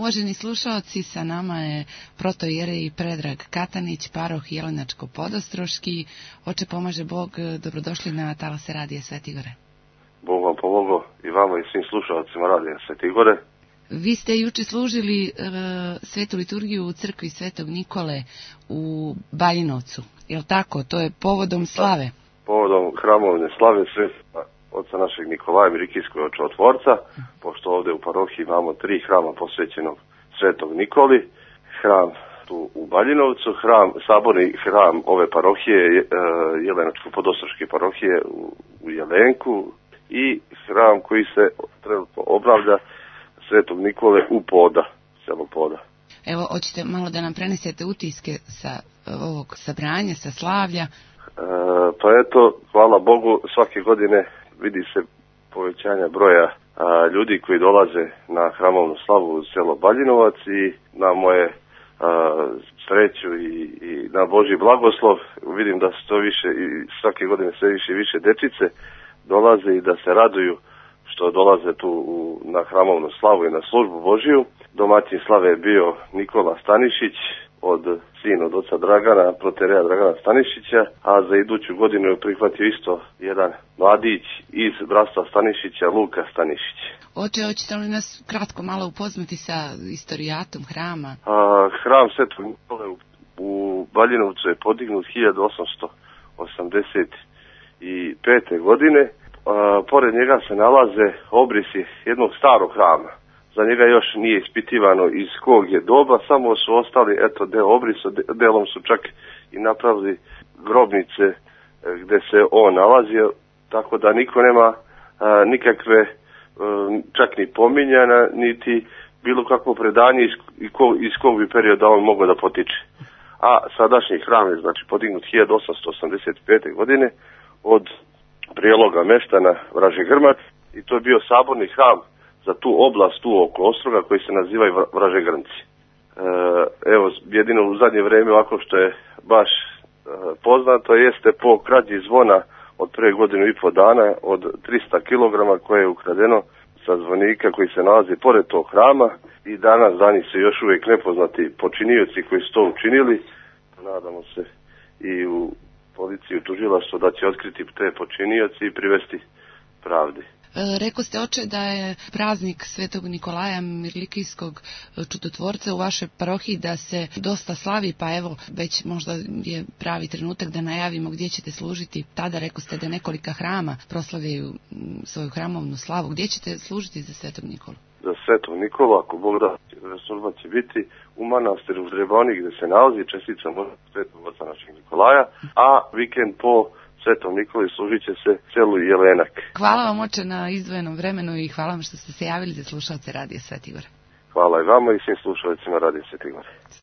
Uvaženi slušaoci, sa nama je protoijerej Predrag Katanić, paroh Jelenačko-Podostroški. Oče pomaže Bog, dobrodošli na talase Radija Svete Gore. Bog vam pomogao i vama i svim slušalcima Radija Svete Gore. Vi ste juče služili svetu liturgiju u crkvi Svetog Nikole u Baljinovcu, je li tako? To je povodom slave. Povodom hramovne slave sveta oca našeg Nikolaja Mirikijskog čudotvorca, pošto ovdje u parohiji imamo 3 hrama posvećenog Svetog Nikoli, hram tu u Baljinovcu, saborni hram ove parohije, Jelenačko-Podostroške parohije u Jelenku i hram koji se trenutno obnavlja Svetog Nikole u Poda, selo Poda. Evo, hoćete malo da nam prenesete utiske sa ovog sabranja, sa slavlja? Pa eto, hvala Bogu, svake godine vidi se povećanje broja ljudi koji dolaze na hramovnu slavu u selo Baljinovac i na moje sreću i na Božji blagoslov. Vidim da se to više i svake godine sve više i više dečice dolaze i da se raduju što dolaze tu na hramovnu slavu i na službu Božiju. Domaćin slave je bio Nikola Stanišić, sin od oca Dragana, protereja Dragana Stanišića, a za iduću godinu je prihvatio isto jedan mladić iz bratstva Stanišića, Luka Stanišić. Oče, hoćete li nas kratko malo upoznati sa istorijatom hrama? Hram Svetog Nikole u Baljinovcu je podignut 1885. godine. Pored njega se nalaze obrisi jednog starog hrama. Za njega još nije ispitivano iz kog je doba, samo su ostali deo obrisa, delom su čak i napravili grobnice gde se on nalazio, tako da niko nema nikakve čak ni pominjana, niti bilo kakvo predanje iz kog bi perioda on mogao da potiče. A sadašnji hram je znači podignut 1885. godine od prijeloga meštana Vraže Grmac i to je bio saborni hram za tu oblast tu oko Ostroga koji se nazivaju Vraže Grmci. Evo, jedino u zadnje vrijeme ovako što je baš poznato jeste po krađi zvona od pre godinu i po dana od 300 kg koje je ukradeno sa zvonika koji se nalazi pored tog hrama i danas za njih se još uvijek nepoznati počinioci koji su to učinili. Nadamo se i u policiju, tužilaštvo da će otkriti te počinioci i privesti pravdi. Rekao ste, oče, da je praznik Svetog Nikolaja Mirlikijskog čudotvorca u vašoj parohiji da se dosta slavi, pa evo, već možda je pravi trenutak da najavimo gdje ćete služiti. Tada rekao ste da nekolika hrama proslavljaju svoju hramovnu slavu. Gdje ćete služiti za Svetog Nikolu? Za Svetog Nikolu, ako Bog da, služba će biti u manastiru u Drebani gdje se nalazi čestica Svetog oca našeg Nikolaja, a vikend po Svetom Nikoli služit će se selu Jelenak. Hvala vam, oče, na izdvojenom vremenu i hvala vam što ste se javili za slušalce Radija Svete Gore. Hvala i vama i svim slušalcima Radija Svete Gore.